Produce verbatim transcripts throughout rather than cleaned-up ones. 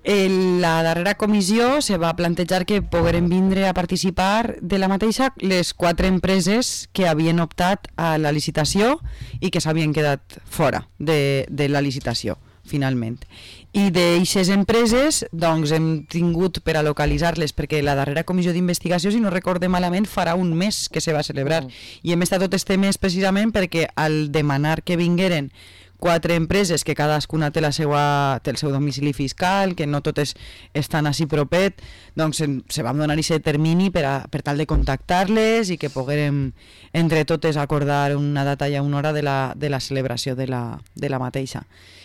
La darrera comissió se va plantejar que pogueren vindre a participar de la mateixa les quatre empreses que havien optat a la licitació i que s'havien quedat fora de, de la licitació, finalment. I d'aixes empreses doncs, hem tingut per a localitzar-les, perquè la darrera comissió d'investigació, si no recorde malament, farà un mes que se va celebrar. Mm. I hem estat tot este mes precisament perquè al demanar que vingueren quatre empreses que cadascuna té, la seva, té el seu domicili fiscal, que no totes estan així propet, doncs se vam donar aquest termini per, a, per tal de contactar-les i que poguérem entre totes acordar una data i una hora de la, de la celebració de la, de la mateixa.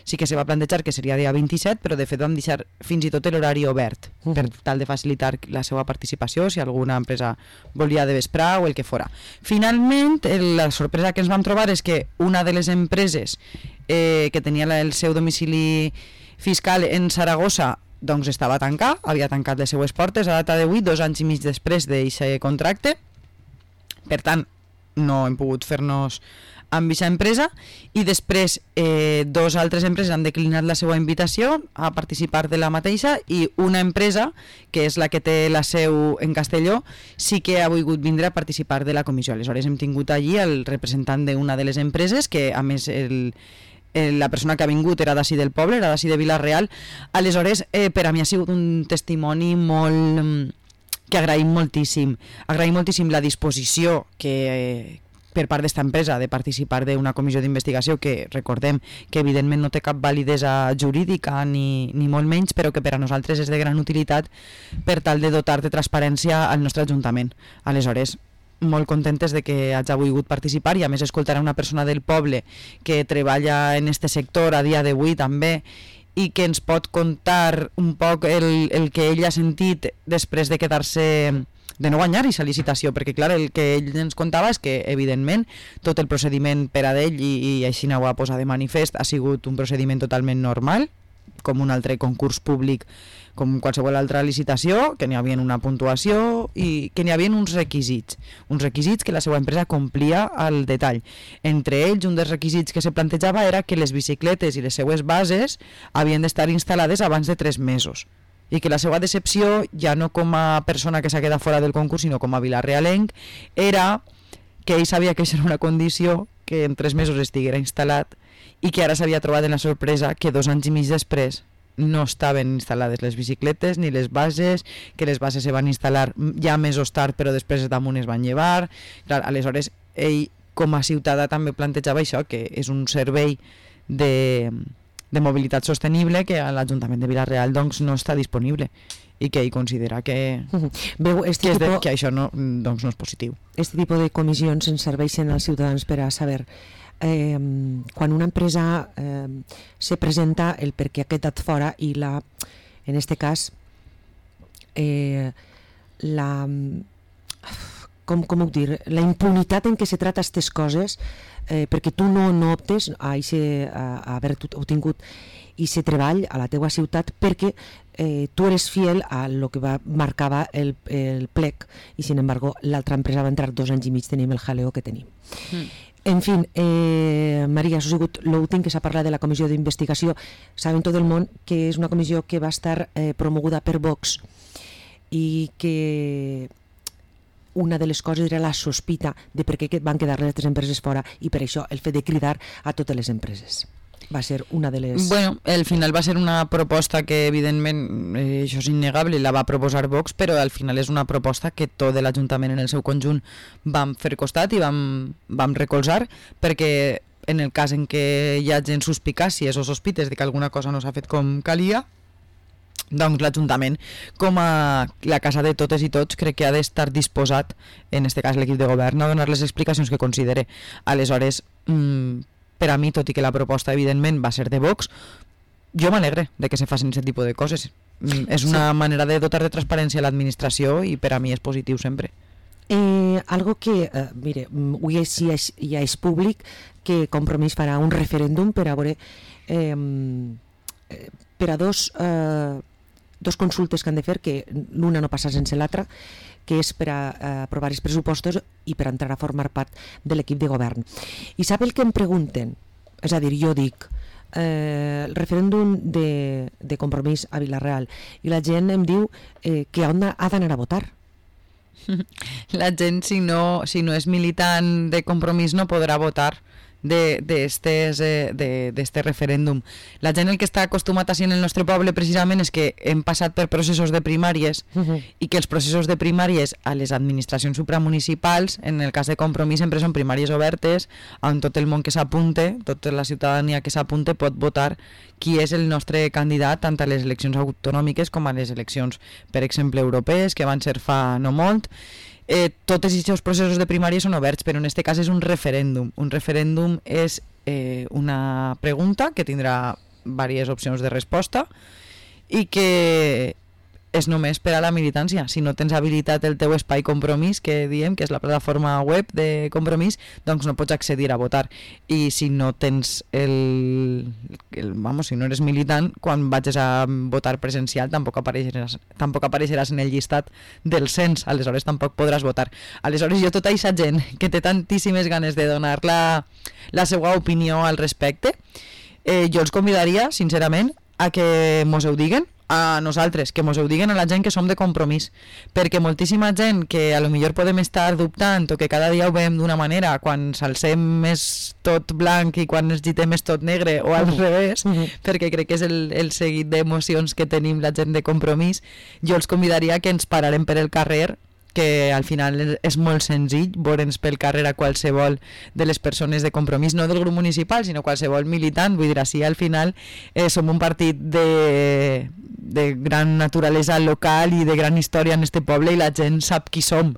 Sí que se va plantejar que seria dia vint-i-set, però de fet vam deixar fins i tot l'horari obert per tal de facilitar la seva participació si alguna empresa volia de vesprà o el que fora. Finalment, la sorpresa que ens vam trobar és que una de les empreses eh, que tenia el seu domicili fiscal en Saragossa doncs estava tancat, havia tancat les seues portes a data d'avui, dos anys i mig després d'aquest contracte. Per tant, no hem pogut fer-nos amb aquesta empresa, i després eh, dos altres empreses han declinat la seva invitació a participar de la mateixa, i una empresa, que és la que té la seu en Castelló, sí que ha volgut vindre a participar de la comissió. Aleshores hem tingut allí el representant d'una de les empreses, que a més el, el, la persona que ha vingut era d'ací del poble, era d'ací de Vila-real. Aleshores eh, per a mi ha sigut un testimoni molt... que agraïm moltíssim. Agraïm moltíssim la disposició que... Eh, per part d'esta empresa de participar d'una comissió d'investigació que recordem que evidentment no té cap validesa jurídica ni, ni molt menys, però que per a nosaltres és de gran utilitat per tal de dotar de transparència al nostre Ajuntament. Aleshores, molt contentes de que hagi volgut participar, i a més escoltar a una persona del poble que treballa en este sector a dia d'avui també, i que ens pot contar un poc el, el que ell ha sentit després de quedar-se... de no guanyar aquesta licitació, perquè clar, el que ell ens contava és que evidentment tot el procediment per a d'ell, i, i així ho va posar de manifest, ha sigut un procediment totalment normal, com un altre concurs públic, com qualsevol altra licitació, que n'hi havia una puntuació i que n'hi havia uns requisits, uns requisits que la seva empresa complia al detall. Entre ells, un dels requisits que se plantejava era que les bicicletes i les seues bases havien d'estar instal·lades abans de tres mesos, i que la seva decepció, ja no com a persona que s'ha quedat fora del concurs, sinó com a vilarealenc, era que ell sabia que això era una condició, que en tres mesos estiguera instal·lat, i que ara s'havia trobat en la sorpresa que dos anys i mig després no estaven instal·lades les bicicletes ni les bases, que les bases se van instal·lar ja mesos tard, però després damunt es van llevar. Clar, aleshores ell com a ciutadà també plantejava això, que és un servei de... de mobilitat sostenible que a l'Ajuntament de Vila-real doncs, no està disponible, i que ell considera que, Veu, este que, tipo, de, que això no, doncs, no és positiu. Este tipus de comissions ens serveixen als ciutadans per a saber eh, quan una empresa eh, se presenta el per què ha quedat fora, i la, en este cas eh, la com, com ho dir, la impunitat en què se trata aquestes coses, eh, perquè tu no, no optes a, ixe, a, a haver obtingut aquest treball a la teua ciutat perquè eh, tu eres fiel a lo que va, marcava el, el plec, i sin embargo l'altra empresa va entrar dos anys i mig, tenim el jaleo que tenim. Mm. En fin, eh, Maria, això ha sigut l'últim que s'ha parlat de la comissió d'investigació. Sabem tot el món que és una comissió que va estar eh, promoguda per Vox, i que una de les coses era la sospita de per què van quedar les altres empreses fora, i per això el fet de cridar a totes les empreses va ser una de les... Bueno, al final va ser una proposta que evidentment, eh, això és innegable, la va proposar Vox, però al final és una proposta que tot l'Ajuntament en el seu conjunt vam fer costat i vam, vam recolzar, perquè en el cas en què hi hagi suspicàcies o sospites de que alguna cosa no s'ha fet com calia, doncs l'Ajuntament, com a la casa de totes i tots, crec que ha d'estar disposat, en aquest cas l'equip de govern, a donar les explicacions que considere. Aleshores, mmm, per a mi, tot i que la proposta evidentment va ser de Vox, jo m'alegre de que se facin aquest tipus de coses. Mm, és una sí. manera de dotar de transparència a l'administració, i per a mi és positiu sempre. Eh, algo que, eh, mire, avui ja és, ja és públic que Compromís farà un referèndum per a veure eh, per a dos eh, dos consultes que han de fer, que l'una no passa sense l'altra, que és per a, a aprovar els pressupostos i per entrar a formar part de l'equip de govern. I sap el que em pregunten? És a dir, jo dic, eh, el referèndum de, de Compromís a Vila-real i la gent em diu eh, que ha d'anar a votar. La gent, si no, si no és militant de Compromís, no podrà votar de, de, estes, eh, de, de este referèndum. La gent el que està acostumat així en el nostre poble precisament és que hem passat per processos de primàries uh-huh. i que els processos de primàries a les administracions supramunicipals, en el cas de Compromís, sempre són primàries obertes on tot el món que s'apunte, tota la ciutadania que s'apunte pot votar qui és el nostre candidat tant a les eleccions autonòmiques com a les eleccions, per exemple, europees, que van ser fa no molt. Eh, tots aquests processos de primària són oberts, però en aquest cas és un referèndum. Un referèndum és eh, una pregunta que tindrà diverses opcions de resposta i que és només per a la militància. Si no tens habilitat el teu espai Compromís, que diem que és la plataforma web de Compromís, doncs no pots accedir a votar. I si no tens el... el vamos, si no eres militant, quan vagis a votar presencial tampoc apareixeràs, tampoc apareixeràs en el llistat del cens, aleshores tampoc podràs votar. Aleshores jo tota aquesta gent que té tantíssimes ganes de donar la, la seva opinió al respecte, eh, jo els convidaria, sincerament, a que mos ho diguen a nosaltres, que mos ho diguen a la gent que som de Compromís, perquè moltíssima gent que a lo millor podem estar dubtant o que cada dia ho veiem d'una manera, quan s'alcem és tot blanc i quan es gitem és tot negre o al uh-huh. revés, uh-huh. perquè crec que és el, el seguit d'emocions que tenim la gent de Compromís, jo els convidaria que ens pararem per el carrer, que al final és molt senzill veure'ns pel carrer a qualsevol de les persones de Compromís, no del grup municipal, sinó qualsevol militant. Vull dir, així al final eh, som un partit de, de gran naturalesa local i de gran història en este poble i la gent sap qui som.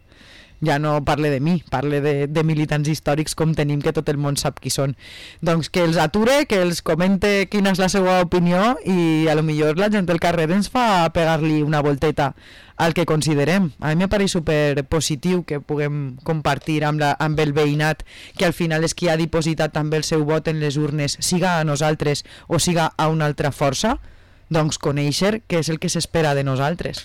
Ja no parle de mi, parle de, de militants històrics com tenim, que tot el món sap qui són. Doncs que els ature, que els comente quina és la seva opinió i a lo millor la gent del carrer ens fa pegar-li una volteta al que considerem. A mi me pareix super positiu que puguem compartir amb, la, amb el veïnat, que al final és qui ha dipositat també el seu vot en les urnes, siga a nosaltres o siga a una altra força, doncs conèixer què és el que s'espera de nosaltres.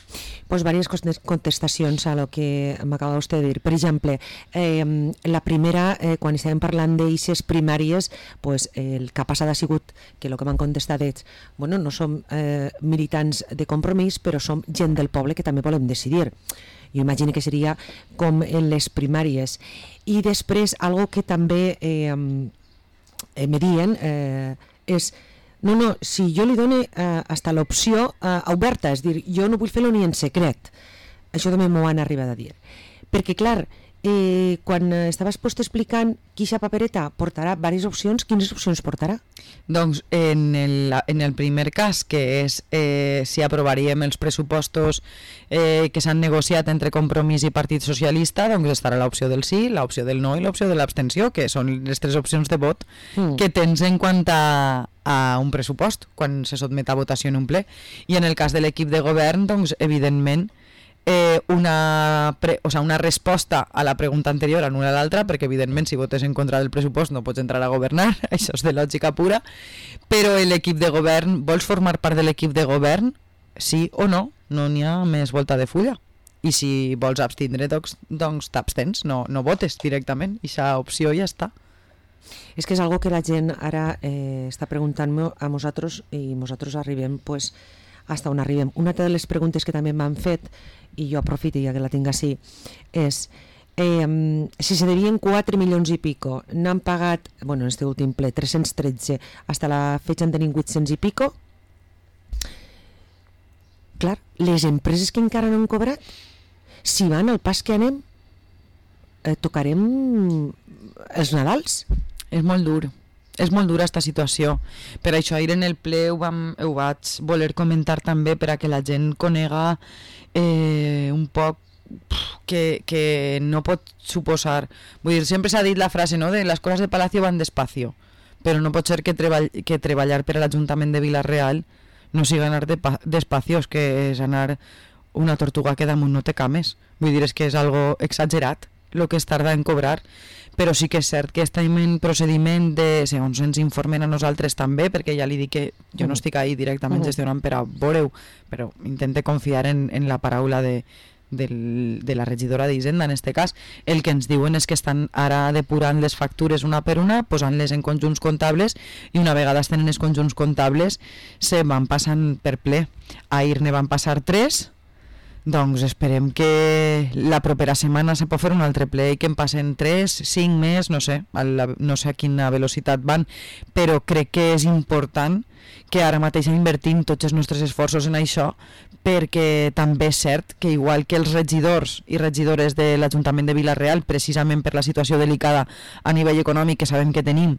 Pues diverses contestacions a lo que m'acaba vostè de dir. Per exemple, eh, la primera, eh, quan estàvem parlant d'eixes primàries, pues, eh, el que ha passat ha sigut que el que m'han contestat és, bueno, no som eh, militants de Compromís, però som gent del poble que també volem decidir. Jo imagino que seria com en les primàries. I després, algo que també eh, eh, me diuen eh, és no, no, si jo li dono eh, hasta l'opció eh, oberta, és dir, jo no vull fer-lo ni en secret. Això també m'ho han arribat a dir. Perquè, clar, eh, quan estaves post explicant quina papereta portarà diverses opcions, quines opcions portarà? Doncs en el, en el primer cas, que és eh, si aprovaríem els pressupostos eh, que s'han negociat entre Compromís i Partit Socialista, doncs estarà l'opció del sí, l'opció del no i l'opció de l'abstenció, que són les tres opcions de vot mm. que tens en quant a, a un pressupost, quan se sotmet a votació en un ple. I en el cas de l'equip de govern, doncs evidentment Eh, una, pre, o sea, una resposta a la pregunta anterior anul·la l'altra, perquè evidentment si votes en contra del pressupost no pots entrar a governar, això és de lògica pura, però l'equip de govern, vols formar part de l'equip de govern? Sí o no, no n'hi ha més volta de fulla. I si vols abstindre, doncs, doncs t'abstens, no, no votes directament, i aquesta opció ja està. És que és algo que la gent ara eh, està preguntant-me a nosaltres i nosaltres arribem pues, hasta on arribem. Una de les preguntes que també m'han fet, i jo aprofito ja que la tinc així, és eh, si se devien quatre milions i pico, n'han pagat, bueno, en este últim ple, tres-cents tretze, hasta la fetge en tenim vuit-cents i pico. Clar, les empreses que encara no han cobrat, si van al pas que anem, eh, tocarem els Nadals. És molt dur. És molt dura aquesta situació. Per això ahir en el ple ho, vam, ho vaig voler comentar també per a que la gent conega eh, un poc que, que no pot suposar. Vull dir, sempre s'ha dit la frase, no?, de les coses de Palacio van despacio, però no pot ser que, treball, que treballar per a l'Ajuntament de Vila-real no sigui anar de despacios, que és anar una tortuga que damunt no té cames. Vull dir, és que és algo exagerat el que es tarda en cobrar, però sí que és cert que estem en procediment de, segons ens informen a nosaltres també, perquè ja li dic que jo no estic ahí directament gestionant per a veure-ho, però intente confiar en, en la paraula de, del, de la regidora d'Hisenda, en este cas. El que ens diuen és que estan ara depurant les factures una per una, posant-les en conjunts comptables, i una vegada estan en els conjunts comptables se van passant per ple. Ahir ne van passar tres, doncs esperem que la propera setmana se pot fer un altre ple i que en passen tres, cinc més, no sé, a la, no sé a quina velocitat van, però crec que és important que ara mateix invertim tots els nostres esforços en això, perquè també és cert que igual que els regidors i regidores de l'Ajuntament de Vila-real, precisament per la situació delicada a nivell econòmic que sabem que tenim,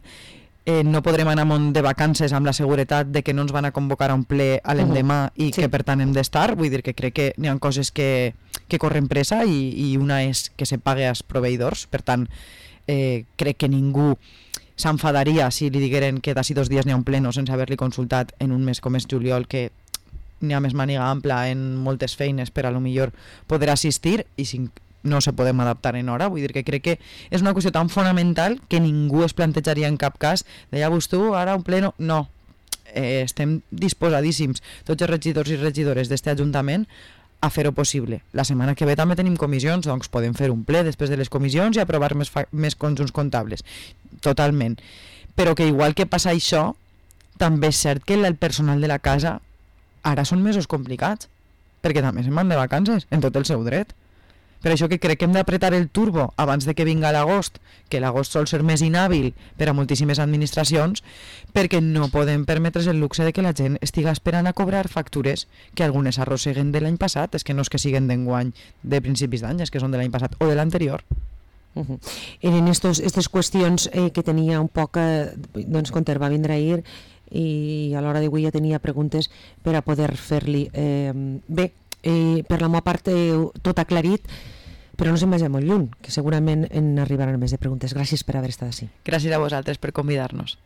Eh, no podrem anar amunt de vacances amb la seguretat de que no ens van a convocar a un ple a l'endemà i sí. que per tant hem d'estar, vull dir que crec que n'hi ha coses que, que corren pressa i, i una és que se pague als proveïdors, per tant eh, crec que ningú s'enfadaria si li digueren que d'ací dos dies n'hi ha un pleno sense haver-li consultat en un mes com és juliol, que n'hi ha més màniga ampla en moltes feines per a lo millor poder assistir i si no se podem adaptar en hora, vull dir que crec que és una qüestió tan fonamental que ningú es plantejaria en cap cas de ja vos tu, ara un pleno, no, eh, estem disposadíssims, tots els regidors i regidores d'este Ajuntament a fer-ho possible. La setmana que ve també tenim comissions, doncs podem fer un ple després de les comissions i aprovar més, més conjunts comptables, totalment, però que igual que passa això, també és cert que el personal de la casa ara són mesos complicats, perquè també se'n van de vacances, en tot el seu dret. Per això que crec que hem d'apretar el turbo abans de que vinga l'agost, que l'agost sol ser més inhàbil per a moltíssimes administracions, perquè no podem permetre's el luxe de que la gent estiga esperant a cobrar factures que algunes arrosseguen de l'any passat, és que no és que siguen d'enguany de principis d'any, és que són de l'any passat o de l'anterior. Uh-huh. Eren aquestes qüestions eh, que tenia un poc, eh, doncs Conter va vindre ahir i a l'hora d'avui ja tenia preguntes per a poder fer-li. Eh, bé, eh, per la meva part eh, tot aclarit, però no se'n vagi molt lluny, que segurament en arribaran més de preguntes. Gràcies per haver estat així. Gràcies a vosaltres per convidar-nos.